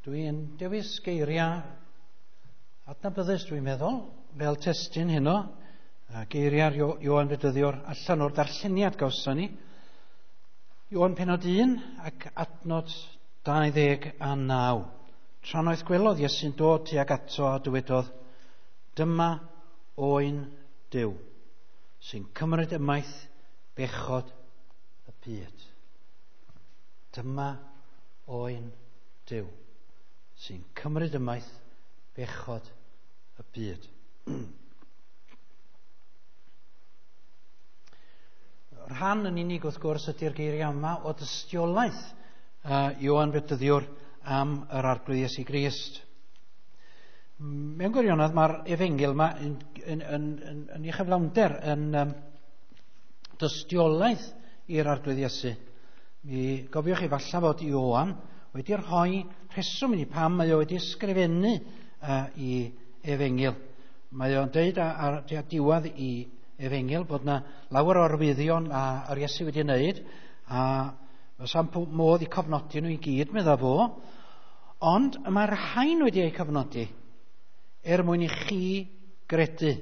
Dwi'n dewis geiriau adnabyddus, dwi'n meddwl, fel testun heno, geiriau'r Ioan Fedyddiwr allan o'r darlleniad gawson ni. Ioan penod 1 ac adnod 29. Trannoeth gwelodd Iesu'n dod tuag ato a dywedodd, "Dyma oen Duw, sy'n cymryd ymaith bechod y byd." Dyma oen Duw, sy'n cymryd ymaith bechod y byd. Rhan yn unig, wrth gwrs, ydy'r geiriau yma o dystiolaeth Ioan Fedyddiwr am yr Arglwydd Iesu Grist. Mewn gwirionedd, mae'r efengyl yma yn ei chyflawnder yn dystiolaeth i'r Arglwydd Iesu. Mi gofiwch chi falle fod Ioan wedi rhoi rheswm i ni pam mae o wedi ysgrifennu i efengyl. Mae o'n deud ar diwedd i efengyl bod yna lawer o arwyddion a yr Iesu wedi wneud, a fysa'n modd i cofnodi nhw i gyd, medda fo, ond mae'r rhain wedi eu cofnodi er mwyn i chi gredu.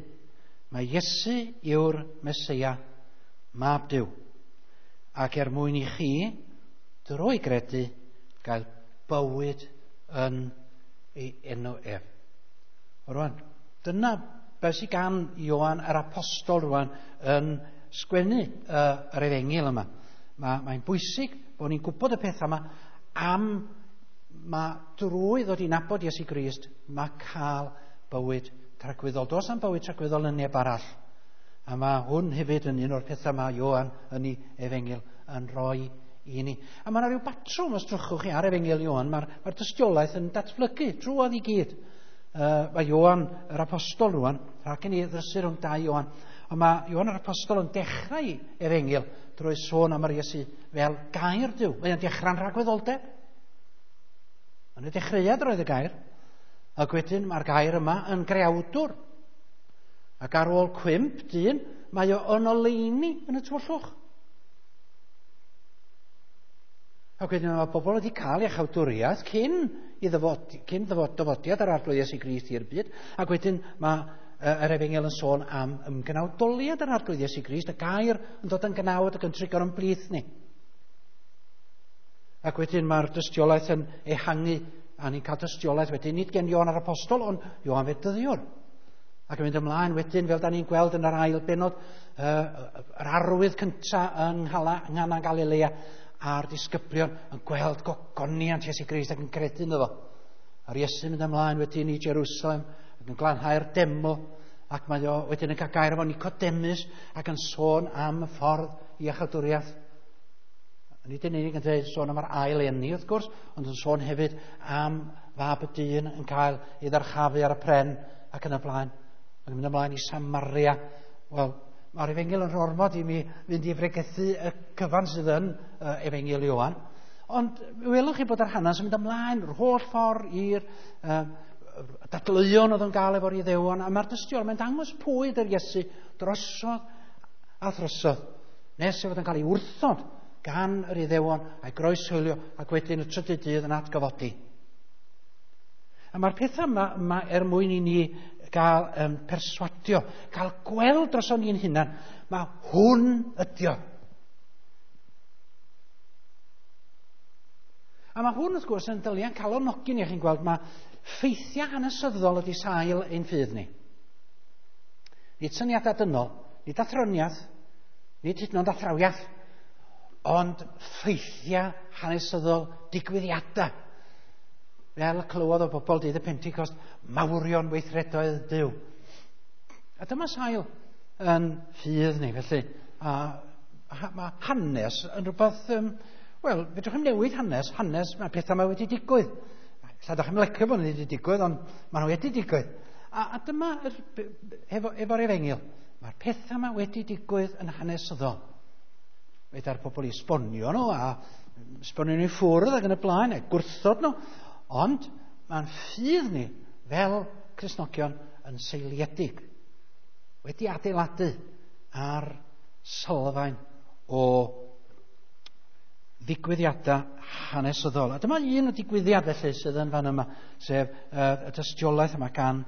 Mae Iesu yw'r Meseia, Mab Duw, ac er mwyn i chi, drwy gredu, gael bywyd yn ei enw ef. Rwan, dyna beth sydd gan Ioan yr Apostol rwan yn sgwennu yr efengyl yma. Mae'n bwysig bod ni'n gwybod y pethau yma am mae drwy ddod i nabod Iesu Grist, mae cael bywyd tragwyddol. Does am bywyd tragwyddol yn neb arall. A mae hwn hefyd yn un o'r pethau mae Ioan yn ei efengyl yn rhoi i ni. A mae yna rhyw batrwm, os drychwch chi ar efengyl Ioan, mae'r dystiolaeth yn datblygu drwodd i gyd. Mae Ioan yr Apostol rwan, rhag i ni ddrysu rhwng dau Ioan, ond mae Ioan yr Apostol yn dechrau efengyl drwy sôn am yr Iesu fel gair Duw. Mae o'n dechrau'n rhagwyddoldeb. Yn y dechreuad roedd y gair, ac wedyn mae'r gair yma yn greawdwr. Ac ar ôl cwymp dyn, mae o yn oleuni yn y tywyllwch. Ac wedyn mae bobl wedi cael iachawdwriaeth cyn dyfodiad yr Arglwydd Iesu Grist i'r byd. Ac wedyn mae yr efengyl yn sôn am ymgnawdoliad yr Arglwydd Iesu Grist, y gair yn dod yn gnawd ac yn trigo'r ymblith ni. Ac wedyn mae'r dystiolaeth yn ehangu, a ni'n cael dystiolaeth wedyn, nid gen Ioan yr Apostol, ond Ioan Fedyddiwr. Ac yn mynd ymlaen wedyn, fel da ni'n gweld yn yr ail bennod, yr arwydd cyntaf yng Nghana Galilea, a'r disgyblion yn gweld gogoniant Iesu Grist ac yn credu ynddo fo. A'r Iesu'n mynd ymlaen wedyn i Jerusalem ac yn glanhau'r deml, ac mae o wedyn yn cael gair efo Nicodemus ac yn sôn am y ffordd i iachawdwriaeth. Nid yn unig yn dweud sôn am yr ail eni, wrth gwrs, ond yn sôn hefyd am fab y dyn yn cael ei ddyrchafu ar y pren ac yn y blaen. Ac yn mynd ymlaen i Samaria. Wel, mae'r efengyl yn ormod i mi fynd i fregethu y cyfan sydd yn efengyl Ioan. Ond welwch chi bod yr hanes yn mynd ymlaen yr holl ffordd i'r dadleuon oedd yn gael efo'r Iddewon, a mae'r dystiolaeth, mae'n dangos pwy ydy'r Iesu drosodd a throsodd, nes ei fod yn cael ei wrthod gan yr Iddewon a'i groeshoelio ac wedyn y trydydd dydd yn atgyfodi. A mae'r pethau yma er mwyn i ni gael perswadio, cael gweld dros o'n ni'n hunan, mae hwn ydi o. A mae hwn, wrth gwrs, yn dylian calonogi ni. Chi'n gweld, mae ffeithiau hanesyddol ydy sail ein ffydd ni. Nid syniadau dynol, nid athroniaeth, nid hyd yn oed athrawiaeth, ond ffeithiau hanesyddol, digwyddiadau. Fel y clywodd o bobl dydd y Pentecost, mawrion weithredoedd Duw. A dyma sail yn ffydd ni, felly. A mae hanes yn rhywbeth, wel, fedrwch chi'm newid hanes, mae pethau mae wedi digwydd. Ella dach chi'm licio bod nhw wedi digwydd, ond maen nhw wedi digwydd. A dyma, efo'r efengyl, mae'r pethau yma wedi digwydd yn hanesyddol. Fedra'r pobl i esbonio nhw, a esbonio nhw i ffwrdd ac yn y blaen, a gwrthod nhw. Ond mae'n ffydd ni fel Cristnogion yn seiliedig, wedi adeiladu ar sylfaen o ddigwyddiadau hanesyddol. A dyma un o digwyddiad felly sydd yn fan yma, sef y tystiolaeth yma gan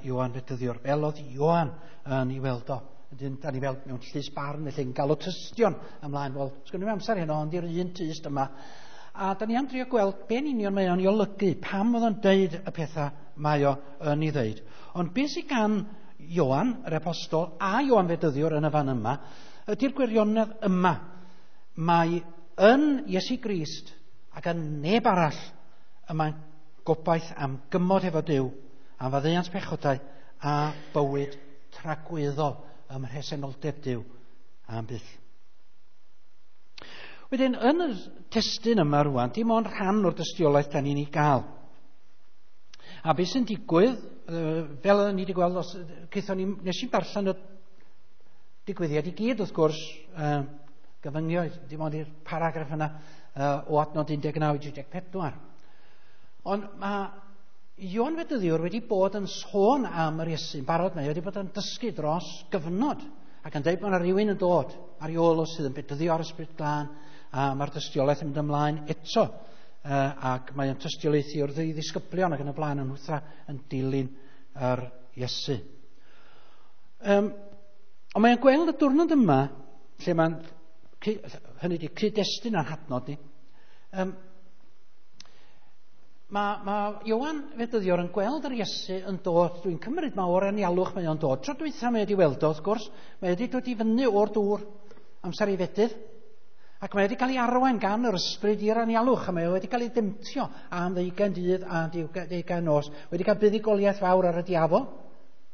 Ioan Fedyddiwr. Fel oedd Ioan yn ei weld o. Wedyn, da ni fel mewn llys barn, felly yn galw tystion ymlaen. Wel, sgwn i'm amser heno, ond i'r un tyst yma. A da ni am drio gweld be'n union mae o'n ei olygu, pam oedd o'n deud y pethau mae o yn ei ddeud. Ond beth sydd gan Ioan, yr apostol, a Ioan Fedyddiwr yn y fan yma, ydy'r gwirionedd yma. Mae yn Iesu Grist ac yn neb arall y mae'n gobaith am gymod efo Duw, am faddeuant pechodau a bywyd tragwyddol ym mhresenoldeb Duw am byth. Wedyn, yn y testun yma rwan, dim ond rhan o'r dystiolaeth da ni'n ei gael. A beth sy'n digwydd, fel ni wedi gweld, os, ni, nes i darllen y digwyddiad i gyd, wrth gwrs, gyfyngio, dim ond i'r paragraff yna o adnod 19 i 34. Ond mae Ioan Fedyddiwr wedi bod yn sôn am yr Iesu'n barod, mae wedi bod yn dysgu dros gyfnod ac yn dweud bod yna rhywun yn dod ar ei ôl o sydd yn bedyddio ar Ysbryd Glân, a mae'r dystiolaeth yn mynd ymlaen eto, ac mae'n tystiolaethu wrth ei ddisgyblion ac yn y blaen yn hwtha yn dilyn yr Iesu. Ond mae'n gweld y diwrnod yma, lle mae'n, hynny ydi, cyd-destun a'n hadnod ni, Mae Ioan Fedyddiwr yn gweld yr Iesu yn dod, dwi'n cymryd mae o'r anialwch mae o'n dod. Tro dwytha mae wedi weld o, wrth gwrs, mae wedi dod i fyny o'r dŵr amser ei fedydd, ac mae wedi cael ei arwain gan yr ysbryd i'r anialwch, a mae wedi cael ei demtio am 20 dydd a 20 nos, wedi cael buddugoliaeth fawr ar y diafol,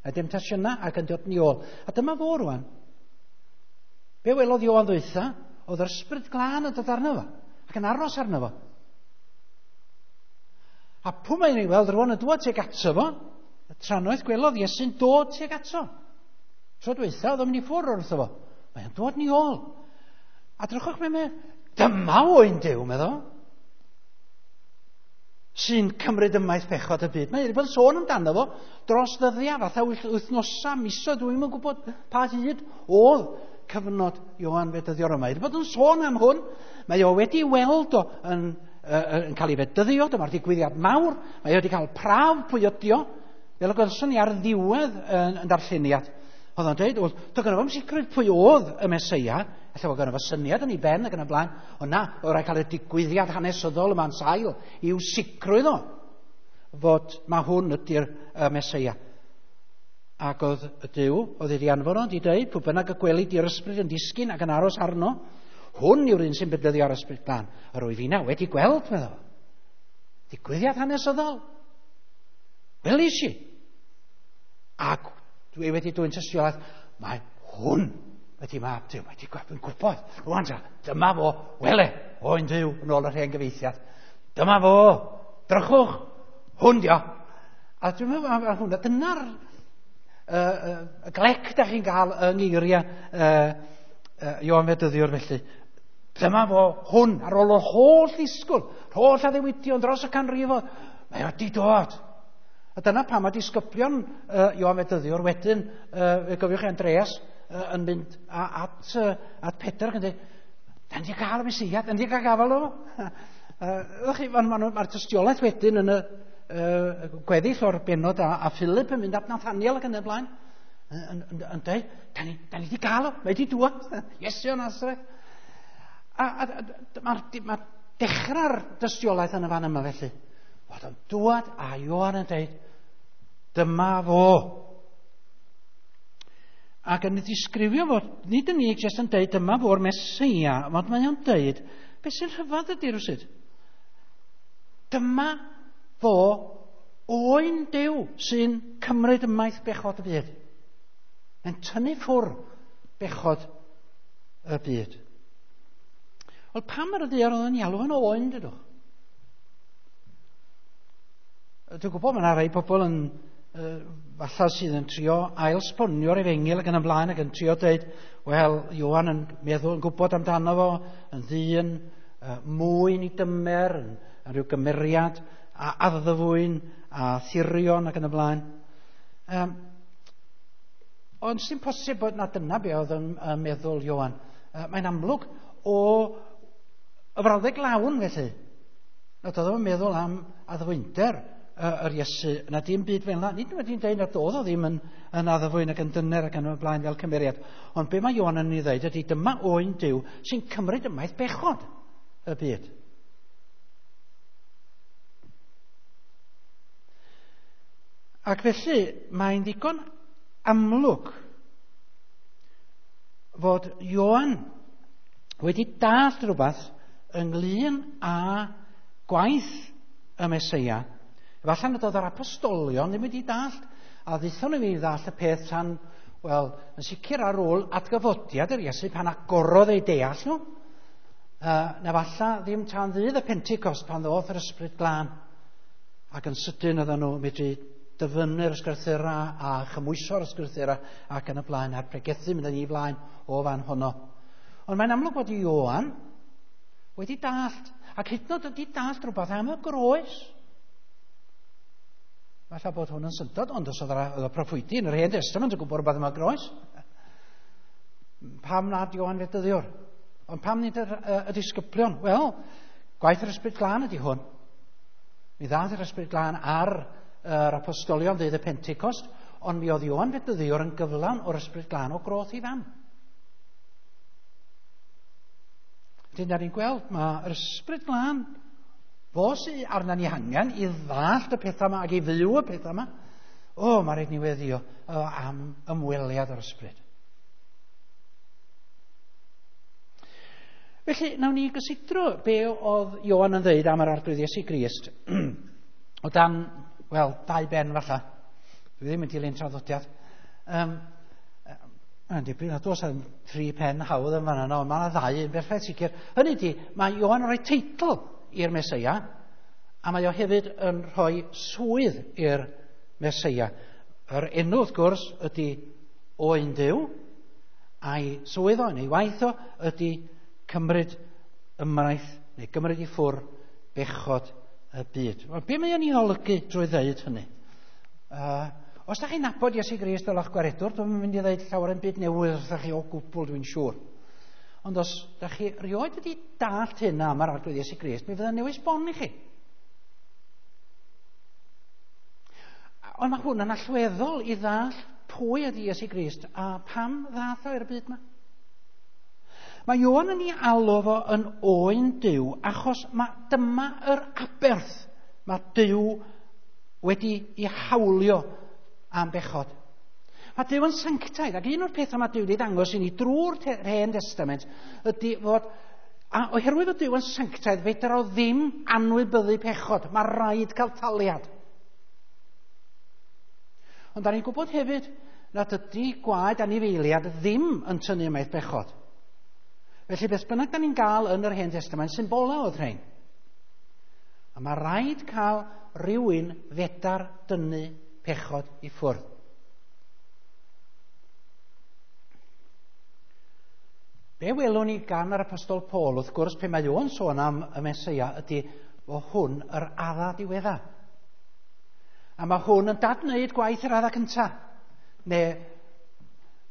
y demtasiynau, ac yn dod yn ôl. A dyma fo rwan. Be welodd Ioan ddwytha? Oedd yr ysbryd glân yn dod arno fo, ac yn aros arno fo. A pwy mae'n ei weld rwan yn dŵad tuag ato fo? Y trannoeth gwelodd Iesu'n dod tuag ato. Tro dwytha, oedd o'n mynd i ffwrdd wrtho fo. Mae'n dod ni ôl. A drychwch mae'n dyma oen Duw, meddwl, sy'n cymryd ymaith pechod y byd. Mae wedi bod yn sôn amdano fo dros ddyddiau, fatha wythnosau, misoedd, dwi'n yn gwybod pa hyd oedd cyfnod Ioan Fedyddiwr yma. Mae wedi bod yn sôn am hwn. Mae o wedi weld o yn cael ei fedyddio, dyma'r digwyddiad mawr. Mae o wedi cael prawf pwy ydi o, fel y gwelson ni ar ddiwedd yn darlleniad. Oedd o'n dweud, wel, doedd gynno fo'm sicrwydd pwy oedd y Meseia, ella fod gynno fo syniad yn ei ben ac yn y blaen, ond na, oedd rhaid cael y digwyddiad hanesyddol yma'n sail i'w sicrwydd o fod mae hwn ydy'r Meseia. Ac oedd y Duw, oedd wedi anfon o, wedi dweud, pwy bynnag y gweli di'r ysbryd yn disgyn ac yn aros arno, hwn yw'r un sy'n bedyddio ar ysbryd glân. Yr wyf inna wedi gweld, meddwl. Digwyddiad hanesyddol. Welis i. Ac dwi wedi dwyn tystiolaeth, mae hwn wedi mab Duw, wedi yn gwybod. Rwan ta, dyma fo, wele, oen Duw, yn ôl yr hen gyfeithiad. Dyma fo, drychwch, hwn dio. A dwi'n meddwl am hwnna, dyna'r y glec da chi'n gael yng ngeiriau Ioan Fedyddiwr felly. Dyma fo, hwn, ar ôl yr holl ddisgwyl, holl addewidion dros y canrifoedd, mae wedi dod. A dyna pam mae disgyblion Ioan Fedyddiwr wedyn, fe gofiwch chi Andreas, yn mynd at Pedr ac yn dweud, da ni wedi cael y Meseia, da ni wedi cael gafael o. Mae'r tystiolaeth wedyn yn y gweddill o'r benod a Philip yn mynd at Nathaniel ac yn y blaen, yn dweud, da ni wedi cael o, mae wedi dŵad, Iesu o Nasareth. A mae dechrau'r dystiolaeth yn y fan yma felly. Oedd o'n dŵad a Ioan yn dweud, dyma fo. Ac yn disgrifio fod, nid yn unig jyst yn dweud dyma fo'r Meseia, ond mae o'n dweud, beth sy'n rhyfedd ydy rywsut? Dyma fo oen Duw sy'n cymryd ymaith bechod y byd. Mae'n tynnu ffwrdd bechod y byd. Wel, pam ar y ddaear oedd yn alw yn oen, dydwch? Dwi'n gwybod mae yna rai pobl yn falle sydd yn trio ail-sbonio'r efengyl ac yn ymlaen ac yn trio dweud, wel, Ioan yn meddwl, yn gwybod amdano fo, yn ddyn mwyn i dymer, yn rhyw gymeriad a addfwyn a thirion ac yn y blaen. Ond sy'n posib bod na dyna be oedd yn meddwl Ioan. Mae'n amlwg o Y frawddeg lawn felly. Nad oedd o'n meddwl am addfwynder yr Iesu, na dim byd fel yna. Nid wedi'n dweud nad oedd o ddim yn addfwyn ac yn dyner ac yn y blaen fel cymeriad. Ond be mae Ioan yn ei ddeud ydy dyma oen Duw sy'n cymryd ymaith bechod y byd. Ac felly mae'n ddigon amlwg fod Ioan wedi dallt rhywbeth ynglyn â gwaith y Meseia. Efallai nad oedd yr apostolion ddim wedi dallt, a ddaethon nhw i ddallt y peth tan, wel, yn sicr ar ôl atgyfodiad yr Iesu pan agorodd eu deall nhw. Na falle ddim tan ddydd y Pentecost pan ddoth yr Ysbryd Glân. Ac yn sydyn oedden nhw medru dyfynnu'r ysgrythura a chymwyso'r ysgrythura ac yn y blaen, a'r pregethu mynd yn ei flaen o fan honno. Ond mae'n amlwg bod Ioan wedi dallt, ac hyd yn oed wedi dallt rhywbeth am y groes. Falle bod hwn yn syndod, ond os oedd y proffwydi yn yr Hen Testament yn gwybod rhywbeth am y groes, pam nad Ioan Fedyddiwr? Ond pam nid y disgyblion? Wel, gwaith yr Ysbryd Glân ydy hwn. Mi ddaeth yr Ysbryd Glân ar yr apostolion ddydd y Pentecost, ond mi oedd Ioan Fedyddiwr yn gyflawn o'r Ysbryd Glân o groth i fam. Wedyn, da ni'n gweld, mae'r Ysbryd Glân, fo sydd arna ni hangen i ddallt y pethau yma ac i fyw y pethau yma. O, mae rhaid ni weddio am ymweliad o'r Ysbryd. Felly, nawn ni gysidro be oedd Ioan yn dweud am yr Arglwydd Iesu Grist o dan, wel, dau ben falle. Dwi ddim yn dilyn traddodiad. Mae'n dipyn nad oes am tri pen hawdd yn fanna, ond mae yna ddau yn berffaith sicr. Hynny ydy, mae Ioan yn rhoi teitl i'r Meseia, a mae o hefyd yn rhoi swydd i'r Meseia. Yr enw, wrth gwrs, ydy Oen Duw, a'i swydd o, neu waith o, ydy cymryd ymraith, neu gymryd i ffwr bechod y byd. Wel, be mae o'n ei olygu drwy ddeud hynny? Os da chi'n nabod Iesu Grist fel eich gwaredwr, dwi'n mynd i ddeud llawer yn byd newydd wrthych chi o gwbl, dwi'n siŵr. Ond os da chi rioed wedi dallt hyn am yr Arglwydd Iesu Grist, mi fydda'n newis bon i chi. Ond mae hwn yn allweddol i ddallt pwy ydy Iesu Grist a pam ddath o i'r byd yma. Mae Ioan yn ei alw fo yn oen Duw achos mae dyma yr aberth mae Duw wedi ei hawlio am bechod. Mae Duw yn sanctaidd, ac un o'r pethau mae Duw wedi ddangos i ni drwy'r Hen Testament ydy fod, a oherwydd fod Duw yn sanctaidd, fedra o ddim anwybyddu pechod. Mae rhaid cael taliad. Ond da ni'n gwybod hefyd nad ydy gwaed anifeiliad ddim yn tynnu ymaith bechod. Felly beth bynnag da ni'n gael yn yr Hen Testament, symbolau oedd rhain. A mae rhaid cael rhywun fedar dynnu pechod i ffwrdd. Be welwn ni gan yr Apostol Paul, wrth gwrs, pe mae o'n sôn am y Meseia, ydy o hwn yr adda diwedda. A mae hwn yn dadwneud gwaith yr adda cynta. Neu,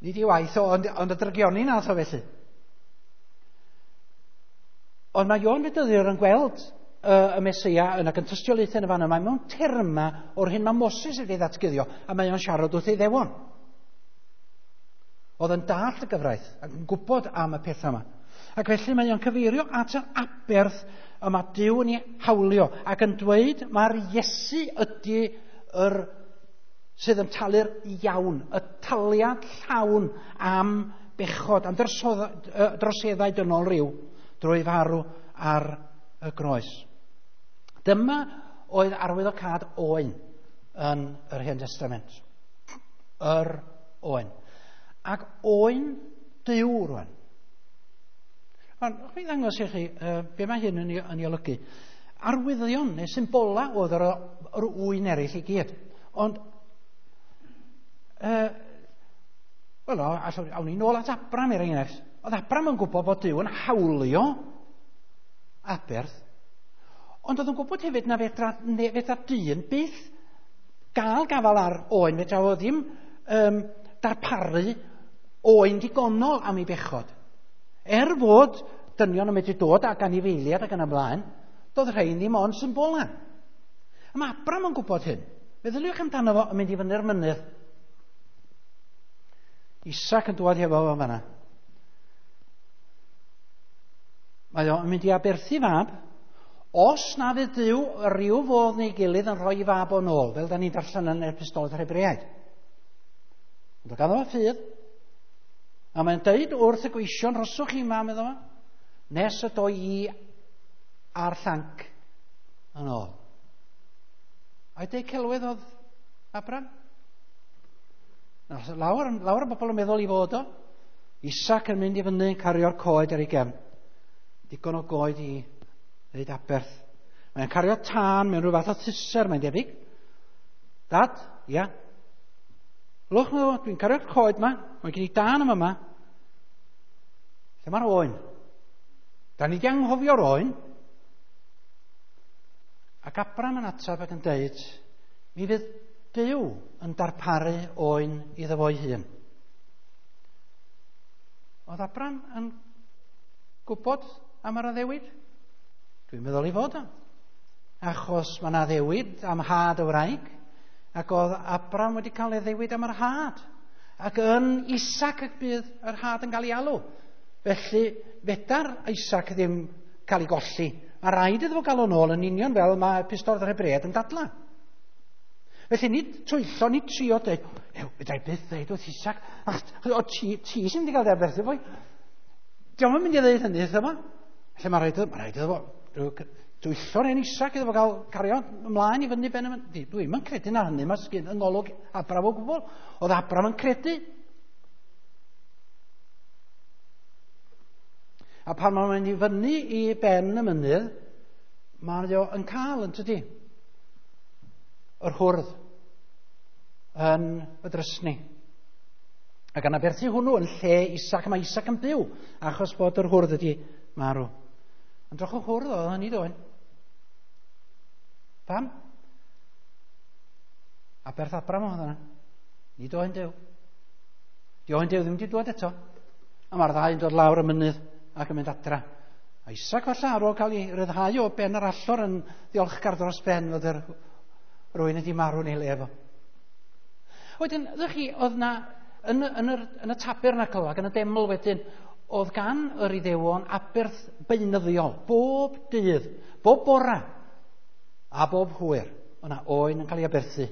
nid i waith o, ond y drygioni nath o felly. Ond mae Ioan Fedyddiwr yn gweld y Meseia yn ac yn tystiolaethau yn y fan yma mewn terma o'r hyn mae Moses wedi ddatguddio, a mae o'n siarad wrth ei ddewon. Oedd yn dallt y gyfraith ac yn gwybod am y pethau yma. Ac felly mae o'n cyfeirio at yr aberth y mae Duw yn ei hawlio ac yn dweud mae'r Iesu ydy yr sydd yn talu'r iawn, y taliad llawn am bechod, am droseddau dynol rhyw drwy farw ar y groes. Dyma oedd arwyddocâd oen yn yr Hen Testament. Yr oen. Ac oen Duw rwan. Ond, mi ddangos i chi be mae hyn yn ei olygu. Arwyddion neu symbolau oedd yr ŵyn eraill i gyd. Ond, wel, awn ni nôl at Abram er enghraifft. Oedd Abram yn gwybod bod Duw yn hawlio aberth, ond oedd yn gwybod hefyd na fedra dyn byth gael gafal ar oen, fedra o ddim darparu oen digonol am ei bechod. Er fod dynion yn medru dod ag anifeiliaid ac yn y blaen. Doedd rhain ddim ond symbolau. A mae Abram yn gwybod hyn. Meddyliwch amdano fo yn mynd i fyny'r mynydd. Isaac yn dŵad hefo fo fanna. Mae o'n mynd i aberthu fab, os na fydd Duw rhyw fodd neu gilydd yn rhoi fab o'n ôl, fel da ni'n darllen yn Epistol yr Hebreaid. Ond o ganddo fo ffydd. A mae'n deud wrth y gweision, rhoswch chi ma, meddwl fo, nes y doi i a'r llanc yn ôl. A'i deud celwydd oedd Abraham? Lawer, lawer o bobl yn meddwl i fod o. Isaac yn mynd i fyny yn cario'r coed ar ei gefn. Digon o goed i wneud aberth. Mae'n cario tân mewn rhyw fath o thuser, mae'n debyg. Dad, ia. Lwch, dwi'n cario'r coed ma. Mae gen i dân yma yma. Lle mae'r oen? Da ni di anghofio'r oen. Ac Abram yn ateb ac yn deud, mi fydd Duw yn darparu oen iddo fo'i hun. Oedd Abram yn gwybod am yr addewid? Dwi'n meddwl ei fod o. Achos mae yna addewid am had y wraig, ac oedd Abram wedi cael ei addewid am yr had. Ac yn Isaac y bydd yr had yn cael ei alw. Felly, fedar Isaac ddim cael ei golli. Mae rhaid iddo fo gael o'n ôl yn union fel mae Epistol yr Hebreaid yn dadla. Felly nid twyllo, nid trio dweud, ew, fedra i byth dweud wrth Isaac, ach, o ti, ti sy'n mynd i gael dy aberthu fwy. Dio'm yn mynd i ddeud hynny wrtho fo. Felly mae rhaid, mae rhaid iddo fo dwyllo'r hen Isaac iddo fo gael cario ymlaen i fyny ben y mynydd. Dwi'm yn credu na hynny, mae sgyn yng ngolwg Abram o gwbl. Oedd Abram yn credu. A pan mae'n mynd i fyny i ben y mynydd, mae o yn cael, yn tydi, yr hwrdd yn y drysni. Ac yn aberthu hwnnw yn lle Isaac, mae Isaac yn byw, achos bod yr hwrdd wedi marw. Ond droch o hwrdd oedd hynny doen. Pam? Aberth Abram oedd yna. Nid oen Duw. Di oen Duw ddim wedi dod eto. A mae'r ddau yn dod lawr y mynydd ac yn mynd adra. A Isaac falle ar ôl cael ei ryddhau o ben yr allor yn ddiolchgar dros ben fod yr rwy'n wedi marw neu le efo. Wedyn, ddech chi, oedd na, yn, yn, yr, yn y tabernacl ac yn y deml wedyn, oedd gan yr Iddewon aberth beunyddiol, bob dydd, bob bora, a bob hwyr. Oedd na oen yn cael ei aberthu.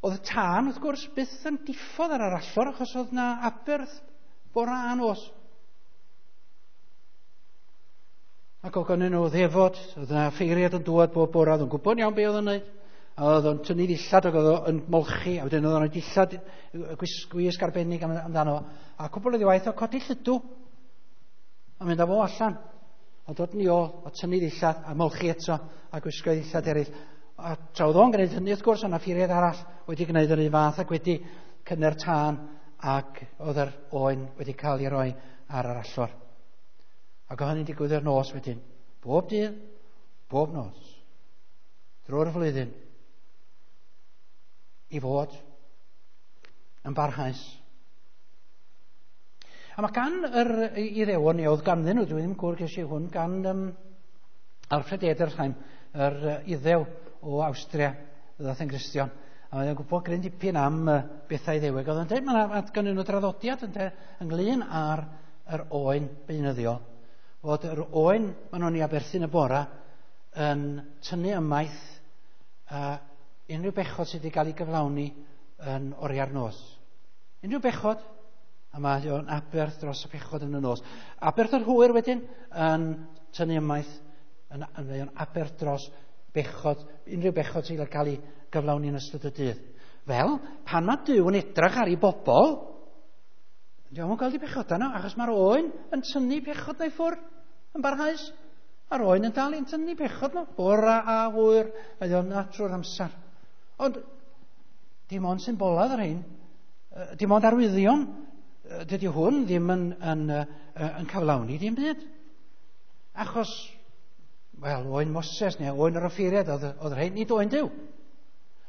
Oedd y tân, wrth gwrs, byth yn diffodd ar yr allor, achos oedd na aberth bora a nos. Ac oedd gennyn nhw ddefod, oedd yna ffeiriad yn dŵad bob bora, oedd yn gwybod iawn be oedd yn gwneud. A oedd o'n tynnu ddillad ac oedd o'n molchi, a wedyn oedd o'n rhoi dillad gwisg arbennig amdano. A cwbl o ddiwaith o codi llydw, a mynd â fo allan. A dod yn ôl, a tynnu ddillad, a molchi eto, a gwisgo ddillad eraill. A tra oedd o'n gwneud hynny, wrth gwrs, o'na ffeiriad arall wedi gwneud yr un fath ac wedi cynnu'r tân, ac oedd yr oen wedi cael ei roi ar yr allor. Ac oedd hynny'n digwydd yr nos wedyn. Bob dydd, bob nos. Drwy'r flwyddyn. I fod yn barhaus. A mae gan yr Iddewon, neu oedd ganddyn nhw, dwi ddim yn gwybod ges i hwn, gan Alfred Edersheim, yr Iddew o Awstria, ddaeth yn Gristion. A mae'n gwybod gryn dipyn am bethau Iddewig. Oedd o'n dweud, mae gan nhw draddodiad ynglyn â'r yr oen beunyddiol, fod yr oen maen nhw'n ei aberthu yn y bora yn tynnu ymaith unrhyw bechod sydd wedi cael ei gyflawni yn oriau'r nos. Unrhyw bechod, a mae o'n aberth dros y pechod yn y nos. Aberth yr hwyr wedyn yn tynnu ymaith, yn o'n aberth dros bechod, unrhyw bechod sydd wedi cael ei gyflawni yn ystod y dydd. Fel, pan mae Duw yn edrych ar ei bobl, dio'm yn gweld ei bechod yno, achos mae'r oen yn tynnu pechod na'i ffwrdd yn barhaus. A'r oen yn dal i'n tynnu pechod nhw, bora a hwyr, mae o'n na trwy'r amser. Ond dim ond symbolad yr hyn, dim ond arwyddion, dydy hwn ddim yn cyflawni dim byd. Achos, wel, oen Moses neu oen yr offeiriad oedd yr hyn, nid oen Duw.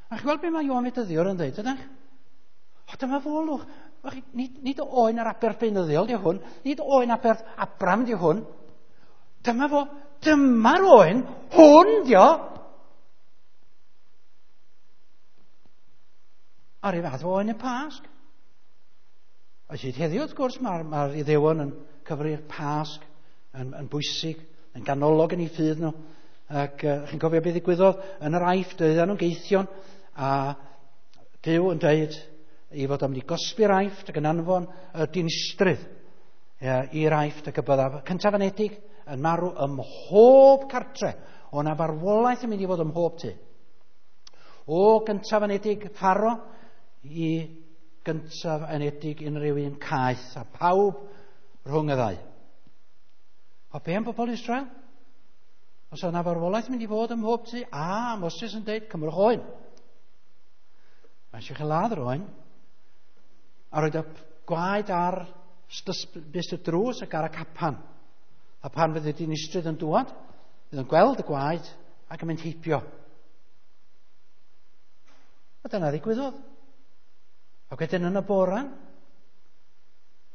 A chi'n gweld beth mae Ioan Fedyddiwr yn dweud, ydych? O, dyma folwch. Nid oen yr aberth beunyddiol di hwn, nid oen aberth Abram di hwn. Dyma fo, dyma'r oen, hwn di o. A'r un fath o oen y Pasg. A hyd heddiw, wrth gwrs, mae'r Iddewon yn cyfri'r Pasg yn bwysig, yn ganolog yn eu ffydd nhw. Ac chi'n cofio beth ddigwyddodd yn yr Aifft, oedden nhw'n geithion, a Duw yn dweud ei fod am mynd i gosbi'r Aifft ac yn anfon y dinistrydd i'r Aifft, ac y bydda cyntaf anedig yn marw ym mhob cartre. O na farwolaeth yn mynd i fod ym mhob tŷ. O gyntaf anedig Pharo i gyntaf anedig unrhyw un caeth, a pawb rhwng y ddau. O be am bobl Israel? Os yna farwolaeth yn mynd i fod ym mhob tŷ, a Moses yn dweud, cymrwch oen. Mae eisiau chi ladd yr oen, a roed y gwaed ar bys y drws ac ar y capan. A pan fydd y dinistrydd yn dŵad, fydd yn gweld y gwaed ac yn mynd heibio. A dyna ddigwyddodd. Ac wedyn yn y bora,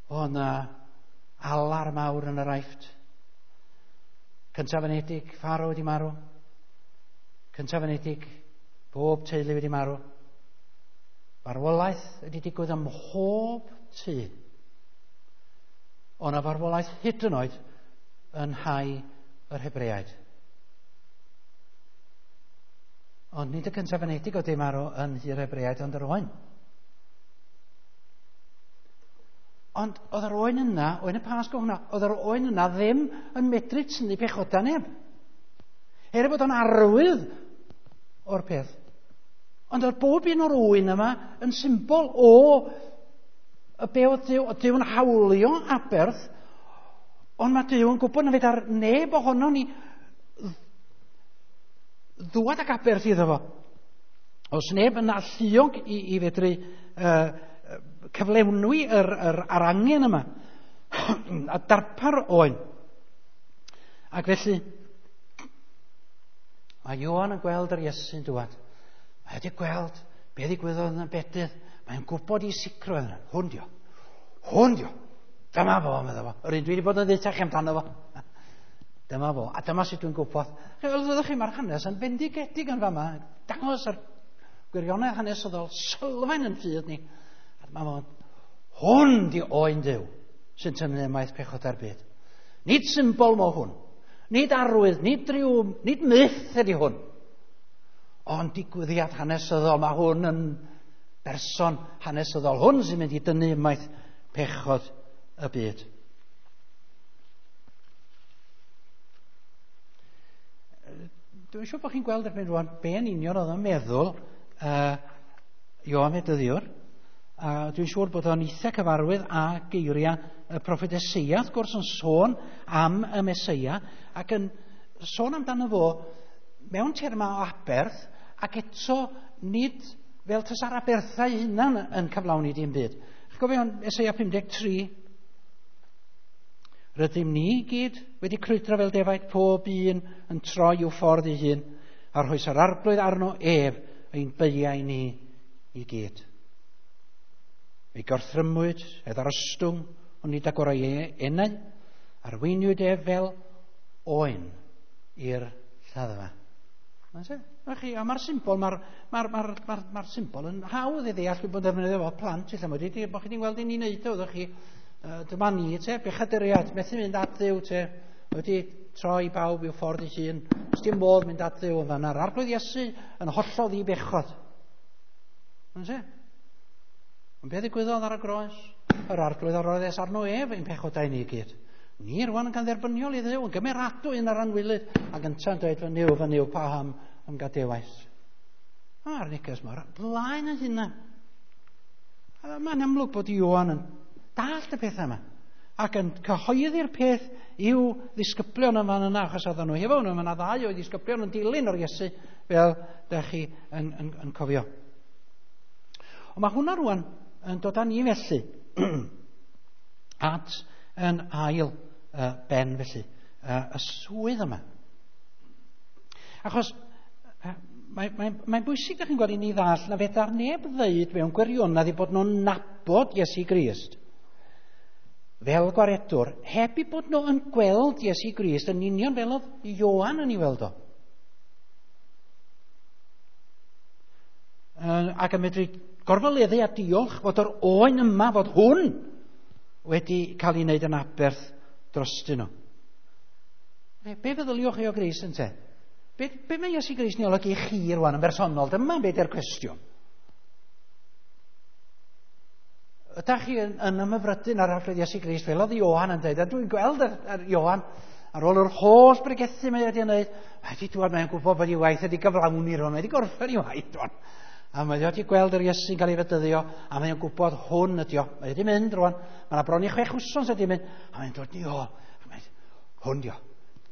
o yna alar mawr yn yr Aifft. Cyntaf anedig, Pharo wedi marw. Cyntaf anedig, bob teulu wedi marw. Farwolaeth wedi digwydd ym mhob tŷ. O na farwolaeth hyd yn oed yn nhai yr Hebreaid. Ond nid y cyntaf anedig oedd wedi marw yn nhŷ'r Hebreaid, ond yr oen. Ond oedd yr oen yna, oen y Pasg o hwnna, oedd yr oen yna ddim yn medru tynnu pechoda neb. Er ei bod o'n arwydd o'r peth. Ond oedd bob un o'r oen yma yn symbol o y be oedd Duw, oedd Duw yn hawlio aberth, ond mae Duw yn gwybod na fedar neb ohono ni ddwad ac aberth iddo fo. Os neb yn alluog i fedru cyflenwi yr angen yma a darpar oen. Ac felly mae Ioan yn gweld yr Iesu'n dŵad. Mae wedi gweld be ddigwyddodd yn y bedydd. Mae'n gwybod i sicrwydd yna. Hwn dio. Hwn dio. Dyma fo, medda fo. Yr un dwi wedi bod yn ddeutach amdano fo. Dyma fo. A dyma sut dwi'n gwybod. Fel ydych chi, mae'r hanes yn fendigedig yn fama. Dangos yr gwirionedd hanesyddol sylfaen yn ffydd ni. A dyma fo. Hwn di oen Duw sy'n tynnu ymaith pechodau'r byd. Nid symbol mo hwn. Nid arwydd, nid rhyw, nid myth ydy hwn. Ond digwyddiad hanesyddol, mae hwn yn berson hanesyddol. Hwn sy'n mynd i dynnu ymaith pechod y byd. Dwi'n siŵr bod chi'n gweld erbyn rwan be yn union oedd yn meddwl Ioan Fedyddiwr. A dwi'n siŵr bod o'n eitha cyfarwydd â geiriau y proffwyd Eseia, wrth gwrs, yn sôn am y Meseia, ac yn sôn amdano fo mewn termau o aberth, ac eto nid fel tasa'r aberthau hunan yn cyflawni dim byd. Chi'n gofio Eseia 53? Rydym ni gyd wedi crwydro fel defaid, pob un yn troi i'w ffordd ei hun, a rhoes yr arglwydd arno ef ein beiau ni i gyd. Ei gorthrymwyd, ei ddarostwng, ond nid agorau ei enau, arweiniwyd ef fel oen i'r lladdfa. A mae'r symbol, mae'r symbol yn hawdd i ddeall, dwi'n bod yn defnyddio fo plant, lle mae wedi, bod chi wedi gweld i ni'n neud o, ydych chi, dyma ni, te, bechaduriad, methu mynd at Dduw, te, wedi troi bawb i'w ffordd ei hun, does dim modd mynd at Dduw yn fan'na. Yr Arglwydd Iesu yn hollol ddibechod. Mae'n Ond beth ddigwyddodd ar y groes? Yr Arglwydd a roddes arno ef ein pechodau ni i gyd. Ni rwan yn cael dderbyniol i Dduw, yn gymeradwy yn yr anwilydd, ac ynta'n dweud, fy Nuw, fy Nuw, paham ym gadewais. A'r neges mor blaen yn hynna. Mae'n amlwg bod Ioan yn dallt y pethau yma, ac yn cyhoeddi'r peth i'w ddisgyblion yn fan yna, achos oedden nhw hefo nhw, mae yna ddau o'i ddisgyblion yn dilyn o'r Iesu, fel da chi yn cofio. Ond mae hwnna rwan yn dod â ni felly at yn ail ben felly, y swydd yma. Achos mae'n bwysig, da chi'n gweld, i ni ddall na fedar neb ddeud mewn gwirionedd i bod nhw'n nabod adnabod Iesu Grist fel gwaredwr, heb i bod nhw yn gweld Iesu Grist yn union fel oedd Ioan yn ei weld o. Ac yn medru gorfoleddu a diolch fod yr oen yma, fod hwn wedi cael ei wneud yn aberth drostyn nhw. Be feddyliwch chi o Grist ynte? Be mae Iesu Grist yn ei olygu i chi rwan yn bersonol? Dyma be di'r cwestiwn. Ydych chi yn ymhyfrydu'n ar Arglwydd Iesu Grist fel oedd Ioan yn dweud, a dwi'n gweld yr Ioan ar ôl yr holl bregethu mae wedi wneud, mae wedi dŵad, mae'n gwybod bod ei waith wedi gyflawni rwan, mae wedi gorffen ei waith rwan. A mae wedi gweld yr Iesu'n cael ei fedyddio, a mae'n gwybod hwn ydi o. Mae wedi mynd rwan, mae yna bron i 6 wsos wedi mynd, a mae'n dod i o, hwn di o.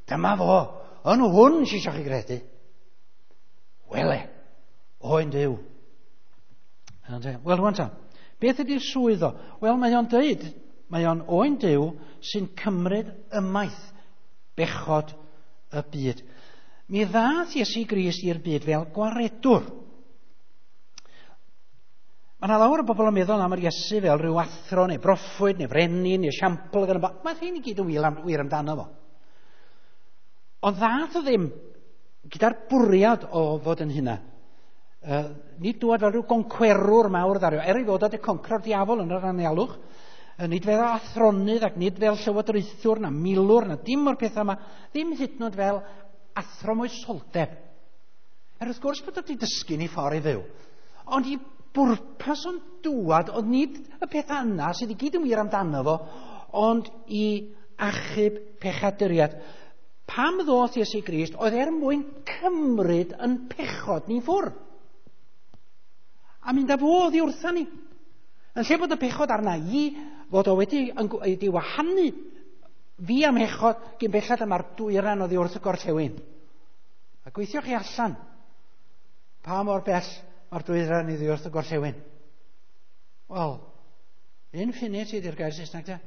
Dyma fo, yn hwn sy'n eisiau chi gredu. Wele, oen Duw. Wel, rwan ta, beth ydy'r swydd o? Wel, mae o'n dweud, mae o'n oen Duw sy'n cymryd ymaith bechod y byd. Mi ddath Iesu Grist i'r byd fel gwaredwr. Mae yna lawer o bobl yn meddwl am yr Iesu fel rhyw athro neu broffwyd neu frenin neu esiampl. Mae hyn i gyd yn wir amdano fo. Ond ddath o ddim gyda'r bwriad o fod yn hynna. Nid dŵad fel rhyw goncwerwr mawr ddario, er ei fod wedi concro'r diafol yn yr anialwch, nid fel athronydd ac nid fel llywodraethwr na milwr na dim o'r pethau yma, ddim hyd yn oed fel athro moesoldeb. Er wrth gwrs bod wedi dysgu ni ffordd i fyw, ond i bwrpas o'n dŵad, oedd nid y pethau yna sydd i gyd yn wir amdano fo, ond i achub pechaduriad. Pam ddoth Iesu Grist oedd er mwyn cymryd yn pechod ni ffwrdd. A mynd â fo oddi wrtha ni. Yn lle bod y pechod arna i, fod o wedi wahanu fi am hechod gyn bellad yma'r dwyran oddi wrth y gorllewin. A gweithio chi allan pa mor bell mae'r dwyran iddi wrth y gorllewin. Wel, infinity ydy'r gair Saesneg te.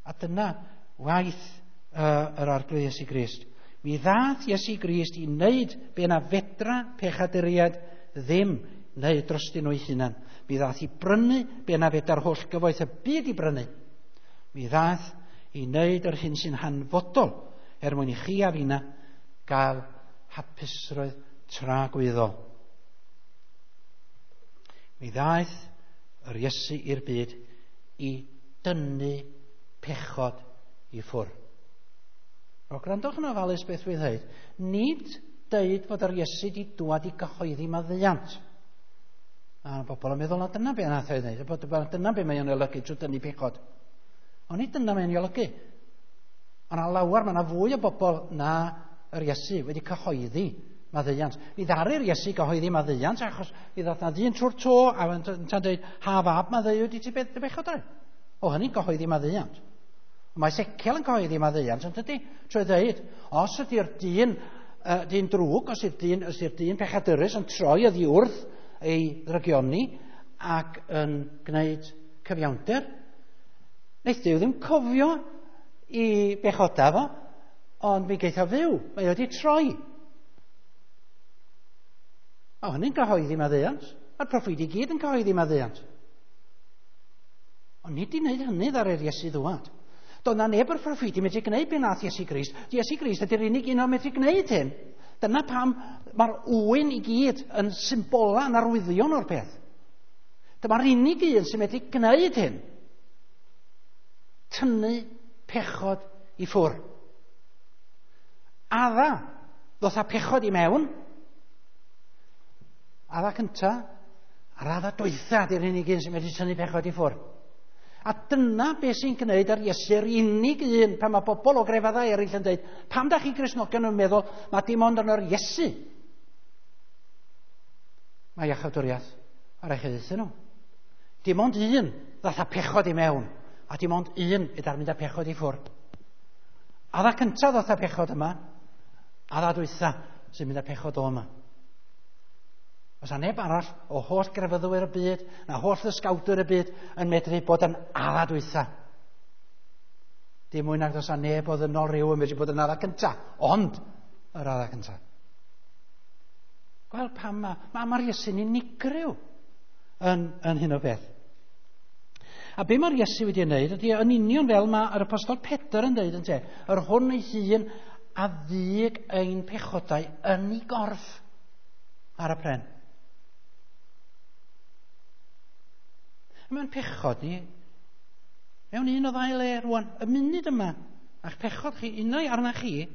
A dyna waith yr Arglwydd Iesu Grist. Mi ddath Iesu Grist i wneud be na fedra pechaduriaid ddim wneud drostyn nhw'i hunan. Mi ddath i brynu be na fedra'r holl gyfoeth y byd i brynu. Mi ddath i wneud yr hyn sy'n hanfodol er mwyn i chi a finna gael hapusrwydd tragwyddol. Mi ddaeth yr Iesu i'r byd i dynnu pechod i ffwrdd. O, gwrandwch yn ofalus beth dwi'n dweud. Nid deud fod yr Iesu wedi dŵad i gyhoeddi maddeuant. A bobl yn meddwl na dyna be nath ei wneud, dyna be mae o'n olygu trwy dynnu pechod. Ond nid dyna mae'n olygu. Ond a lawer, mae yna fwy o bobl na yr Iesu wedi cyhoeddi maddeuant. Mi ddaru'r Iesu gyhoeddi maddeuant achos mi ddath na ddyn trwy'r to a yn dweud, ha fab maddeuwyd i ti beth dy bechod? O, hynny'n gyhoeddi maddeuant. Mae Ezekiel yn cyhoeddi maddeuant, yn dydy? Trwy dweud, os ydy'r dyn drwg, os ydy'r dyn pechadurus yn troi oddi wrth ei ddrygioni ac yn gwneud cyfiawnder, wneith Duw ddim cofio i bechoda fo, ond mi geith o fyw, mae wedi troi. O, hynny'n cyhoeddi maddeuant. Mae'r proffwydi i gyd yn cyhoeddi maddeuant. Ond nid i wneud hynny ddaru'r Iesu ddŵad. Doedd na neb o'r proffwydi medru gwneud be nath Iesu Grist. Iesu Grist ydy'r unig un o'n medru gwneud hyn. Dyna pam mae'r ŵyn i gyd yn symbola yn arwyddion o'r peth. Dyma'r unig un sy'n medru gwneud hyn. Tynnu pechod i ffwrdd. Adda ddoth â pechod i mewn. Adda cynta, a'r adda dwytha ydy'r unig un sy'n medru tynnu pechod i ffwrdd. A dyna beth sy'n gwneud ar Iesu'r unig un pan mae bobl o grefyddau eraill yn dweud, pam da chi Gristnogion yn meddwl mae dim ond yn yr Iesu? Mae iachawdwriaeth ar eich iddyn nhw. Dim ond un ddath â pechod i mewn, a dim ond un yda'r mynd â pechod i ffwrdd. Adda cyntaf ddath â pechod yma, adda dwytha sy'n mynd â pechod o yma. Oes 'na neb arall o holl grefyddwyr y byd, na holl ddysgawdwyr y byd yn medru bod yn adda dwytha. Dim mwy nag does 'na neb o ddynol rhyw yn medru bod yn adda cynta, ond yr adda cynta. Gweld pam mae'r Iesu'n unigryw. yn hyn o beth. A be mae'r Iesu wedi wneud ydy yn union fel mae'r apostol Pedr yn dweud yn te, yr hwn ei hun a ddyg ein pechodau yn ei gorff ar y pren. Mae'n pechod ni mewn un o ddau le rwan, y munud yma, a'ch pechod chi unai arna chi,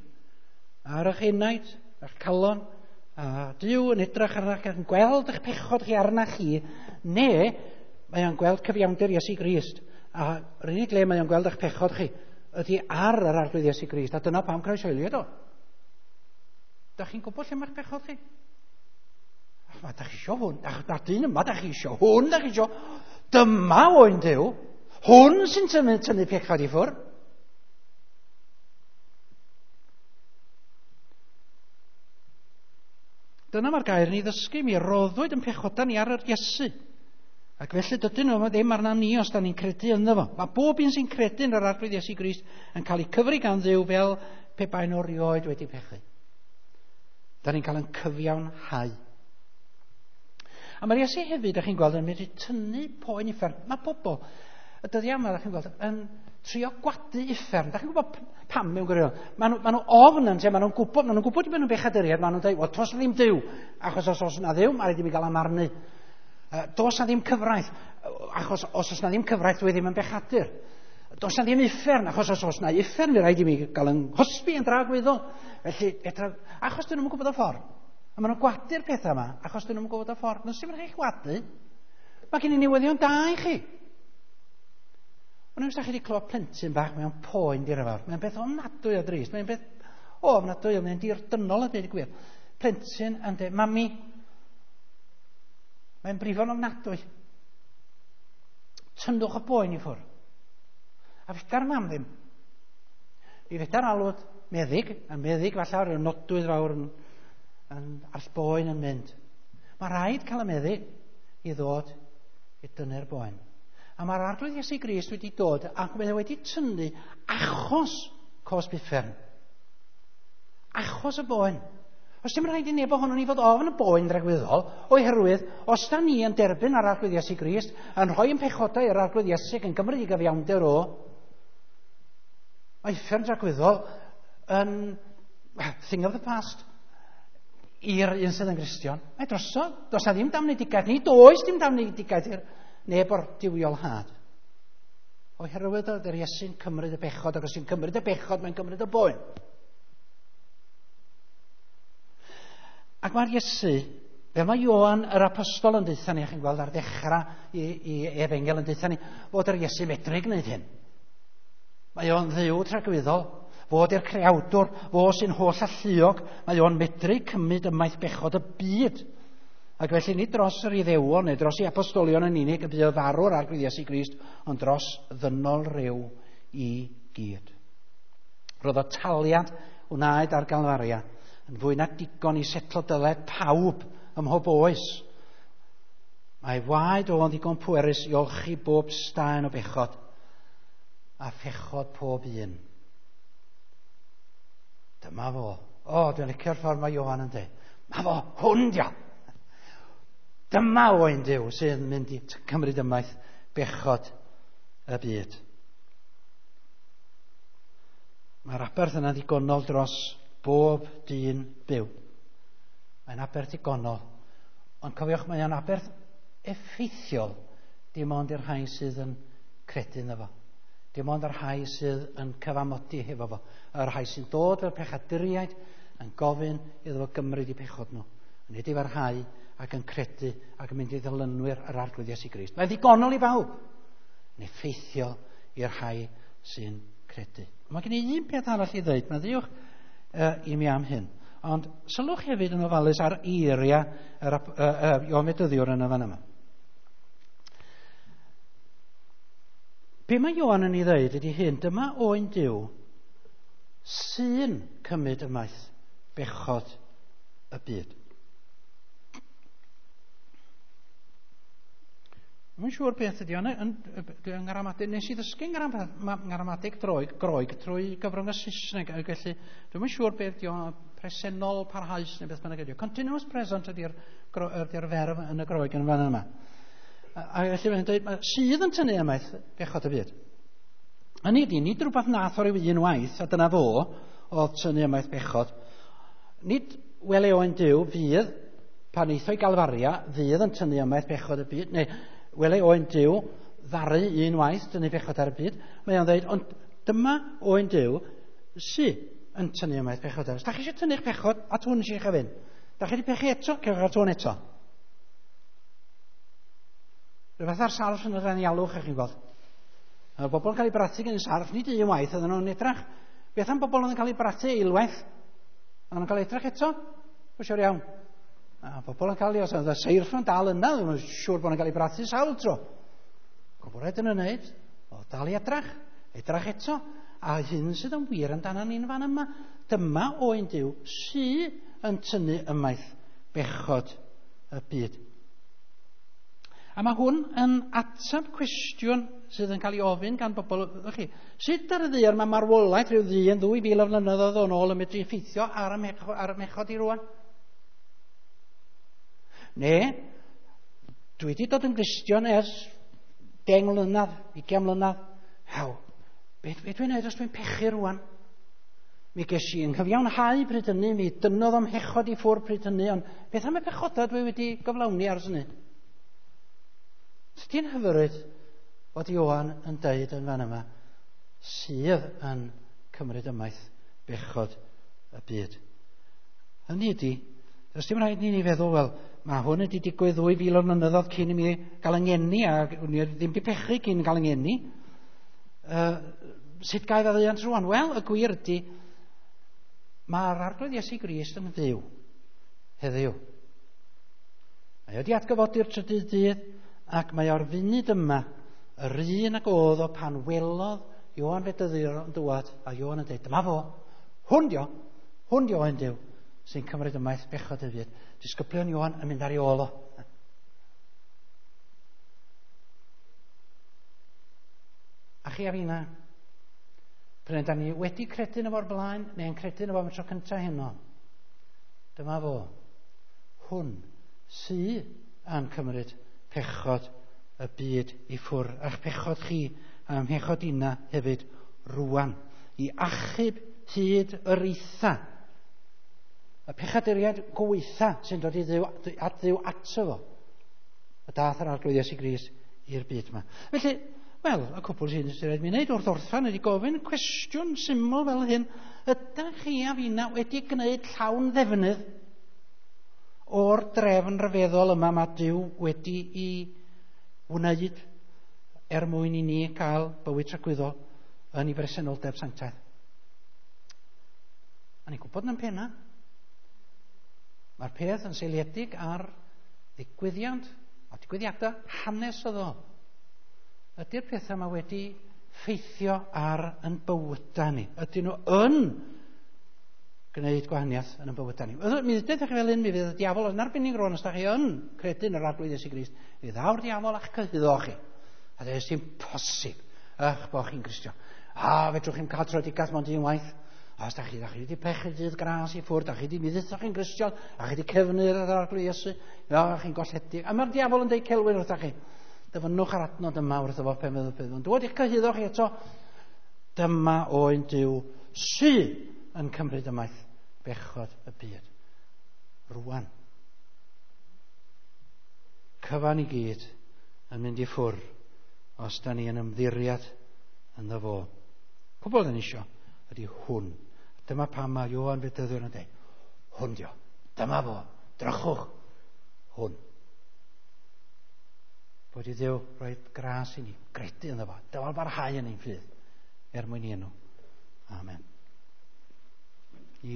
ar eich enaid, a'ch calon, a Duw yn edrych arnach ac yn gweld eich pechod chi arna chi, neu mae o'n gweld cyfiawnder Iesu Grist. A yr unig le mae o'n gweld eich pechod chi ydy ar yr Arglwydd Iesu Grist, a dyna pam croeshoeliwyd o. Da chi'n gwybod lle mae'ch pechod chi? Ma, da chi isio hwn, da dyn yma, da chi isio hwn, da chi isio. Dyma oen Duw, hwn sy'n tynnu pechod i ffwrdd. Dyna mae'r gair ni ddysgu, mi roddwyd yn pechoda ni ar yr Iesu. Ac felly dydyn nhw ddim arna ni os da ni'n credu ynddo fo. Mae bob un sy'n credu yn yr Arglwydd Iesu Grist yn cael ei cyfri gan Dduw fel pe bai nhw rioed wedi pechu. Da ni'n cael yn cyfiawnhau. A mae'r Iesu hefyd, da chi'n gweld, yn mynd i tynnu poen uffern. Mae pobl, y dyddiau yma, da chi'n gweld, yn trio gwadu uffern. Da chi'n gwybod pam mewn gwirionedd? Maen nhw ofn yn te, maen nhw'n gwybod, maen nhw'n gwybod i nhw'n bechaduriaid, maen nhw'n dweud, wel, tos ddim Duw, achos os oes na Dduw, mae rhaid i mi gael amarnu. Does na ddim cyfraith, achos os oes na ddim cyfraith, dwi ddim yn bechadur. Does na ddim uffern, achos os oes na uffern, mi rhaid i mi gael yn hosbi yn dragwyddol. Felly, achos dyn nhw'n gwybod y ffordd. A maen nhw'n gwadu'r pethau yma, achos dyn nhw'n gwybod y ffordd. Nes i'n rhaid gwadu. Mae gen i newyddion da i chi. Ond os da chi wedi clywed plentyn bach mewn poen dirfawr, mae'n beth ofnadwy o drist, mae'n beth ofnadwy, mae'n dirdynol a dweud y gwir. Plentyn yn dweud, mami, mae'n brifo'n ofnadwy. Tynnwch y boen i ffwrdd. A feda'r mam ddim. Mi feda'r alwad meddyg, a meddyg falle ar y nodwydd fawr yn a'r boen yn mynd. Mae rhaid cael y meddyg i ddod i dynnu'r boen. A mae'r Arglwydd Iesu Grist wedi dod ac mae wedi tynnu achos cosb uffern. Achos y boen. Os dim rhaid i neb ohonon ni fod ofn y boen dragwyddol, oherwydd os da ni yn derbyn ar Arglwydd Iesu Grist, yn rhoi yn pechodau i'r Arglwydd Iesu yn gymryd i gyfiawnder o, mae uffern dragwyddol yn thing of the past i'r un sydd yn Gristion. Mae drosodd, does na ddim damnedigaeth, nid oes dim damnedigaeth i'r neb o'r duwiol had. Oherwydd oedd yr Iesu'n cymryd y bechod, ac os yw'n cymryd y bechod, mae'n cymryd y boen. Ac mae'r Iesu, fel mae Ioan yr apostol yn deutha ni, chi'n gweld ar ddechrau i efengyl yn deutha ni, fod yr Iesu medru gwneud hyn. Mae o'n Dduw tragwyddol, fod i'r creawdwr, fo sy'n holl alluog, mae o'n medru cymryd ymaith bechod y byd. Ac felly nid dros yr Iddewon neu dros i apostolion yn unig y buodd farw'r Arglwydd Iesu Grist, ond dros ddynol ryw i gyd. Roedd y taliad wnaed ar Galfaria yn fwy na digon i setlo dyled pawb ym mhob oes. Mae waed o'n ddigon pwerus i olchi bob staen o bechod a phechod pob un. Dyma fo. O, dwi'n licio'r ffordd mae Ioan yn dweud. Ma fo, hwn dio. Dyma oen Duw sydd yn mynd i cymryd ymaith bechod y byd. Mae'r aberth yna ddigonol dros bob dyn byw. Mae'n aberth digonol. Ond cofiwch, mae o'n aberth effeithiol dim ond i'r rhai sydd yn credu ynddo fo. Dim ond i'r rhai sydd yn cyfamodi hefo fo. Y rhai sy'n dod fel pechaduriaid yn gofyn iddo fo gymryd i pechod nhw. Yn edifarhau ac yn credu ac yn mynd i ddilynwyr yr Arglwydd Iesu Grist. Mae'n ddigonol i bawb. Yn effeithiol i'r rhai sy'n credu. Mae gen i un peth arall i ddweud. Mae'n ddiwch i mi am hyn. Ond sylwch hefyd yn ofalus ar eiriau yr Ioan Fedyddiwr yn y fan yma. Be mae Ioan yn ei ddweud ydy hyn, dyma oen Duw sy'n cymryd ymaith bechod y byd. Dwi'n siŵr beth ydy o'n yng ngramadeg. Nes i ddysgu ngramadeg Groeg trwy gyfrwng y Saesneg, ac felly dwi'm yn siŵr beth ydy o'n presennol parhaus neu beth bynnag ydy o. Continuous present ydy'r ferf yn y Groeg yn fan yma. A felly mae'n dweud, sydd yn tynnu ymaith bechod y byd. Hynny ydy, nid rhywbeth nath o ryw un waith, a dyna fo, oedd tynnu ymaith bechod. Nid wele oen Duw fydd, pan eithoi Galfaria, fydd yn tynnu ymaith bechod y byd, neu wele oen Duw ddaru un waith tynnu bechod ar y byd. Mae o'n dweud, ond dyma oen Duw sydd yn tynnu ymaith bechod ar y byd. Da chi eisiau tynnu'ch pechod at hwn eisiau chi fynd. Da chi wedi pechu eto, cewch at hwn eto. Rhywbeth ar sarff yn yr anialwch, ych chi'n gweld. Mae bobl yn cael eu brathu gen y sarff, nid un waith, oedden nhw'n edrach. Beth am bobl oedd yn cael eu brathu eilwaith? Oedden nhw'n cael edrach eto? Dwi'n siŵr iawn. A bobl yn cael ei, os oedd y seirff yn dal yna, oedden nhw'n siŵr bod nhw'n cael eu brathu sawl tro. Gwybod rhaid yn wneud, o dal i edrach, edrach eto. A hyn sydd yn wir amdano ni'n fan yma. Dyma oen Duw sydd yn tynnu ymaith bechod y byd. A mae hwn yn ateb cwestiwn sydd yn cael ei ofyn gan bobl. Chi, sut ar y ddaear mae marwolaeth rhyw ddyn 2000 o flynyddoedd o'n ôl yn medru effeithio ar y mechod i rwan? Ne, dwi wedi dod yn Gristion ers 10 mlynedd, 20 mlynedd. Haw, beth dwi'n gwneud os dwi'n pechu rwan? Mi ges i yn cyfiawnhau pryd hynny, mi dynnodd o'm hechod i ffwrdd pryd hynny, ond beth am y pechodau dwi wedi gyflawni ers hynny? Tydi'n hyfryd bod Ioan yn deud yn fan yma sydd yn cymryd ymaith bechod y byd. Hynny ydy, does dim rhaid ni feddwl, wel, mae hwn wedi digwydd 2000 o flynyddoedd cyn i mi gael yng ngeni, a ni ddim wedi pechu cyn gael yng ngeni. Sut gael faddeuant rwan? Wel, y gwir ydy, mae'r Arglwydd Iesu Grist yn fyw heddiw. Mae wedi atgyfodi'r trydydd dydd, ac mae o'r funud yma yr un ag oedd o pan welodd Ioan Fedyddiwr yn dŵad, a Ioan yn dweud, dyma fo, hwn dio oen Duw, sy'n cymryd ymaith bechod y byd. Disgyblion Ioan yn mynd ar ei ôl o. A chi a finna, pryd da ni wedi credu yn efo'r blaen, neu'n credu yn efo am y tro cyntaf heno, dyma fo, hwn sydd yn cymryd pechod y byd i ffwrdd, a'ch pechod chi a'm mhechod inna hefyd rwan, i achub hyd yr eitha. Y pechaduriaid gweitha sy'n dod i Dduw, at Dduw ato fo. Y dath yr Arglwydd Iesu Grist i'r byd yma. Felly, wel, y cwbl sy'n rhaid mi wneud wrth orffan ydy gofyn cwestiwn syml fel hyn. Ydych chi a finna wedi gwneud llawn ddefnydd o'r drefn ryfeddol yma mae Duw wedi i wneud er mwyn i ni gael bywyd tragwyddol yn ei bresenoldeb sanctaidd? A ni'n gwybod yn penna. Mae'r peth yn seiliedig ar ddigwyddiant a digwyddiadau hanesyddol. Ydy'r pethau yma wedi ffeithio ar yn bywydau ni? Ydyn nhw yn gwneud gwahaniaeth yn y bywydau ni? Mi ddeudodd chi fel hyn, mi fydd y diafol yn arbennig rwan os da chi yn credu yn yr Arglwydd Iesu Grist, mi ddaw'r diafol a'ch cyhuddo chi. A dweud, sy'n posib eich bod chi'n Gristion. A fedrwch chi'n cael tröedigaeth mond un waith. A os da chi wedi pechu dydd gras i ffwrdd, da chi wedi mi ddeudoch chi'n Gristion, a chi wedi cefnu ar Arglwydd Iesu, a chi'n golledig. A mae'r diafol yn dweud celwydd wrthach chi. Dyfynnwch ar adnod yma wrtho fo pen fydd yn dod i'ch cyhuddo chi eto. Dyma oen Duw sydd yn cymryd ymaith bechod y byd. Rwan. Cyfan i gyd yn mynd i ffwrdd os da ni yn ymddiriad ynddo fo. Cwbl da ni isio ydy hwn. Dyma pam mae Ioan Fedyddiwr yn dweud, hwn dio, dyma fo, drychwch, hwn. Bod i Dduw rhoi gras i ni, gredu ynddo fo, dyfal barhau yn ein ffydd, er mwyn i enw. Amen.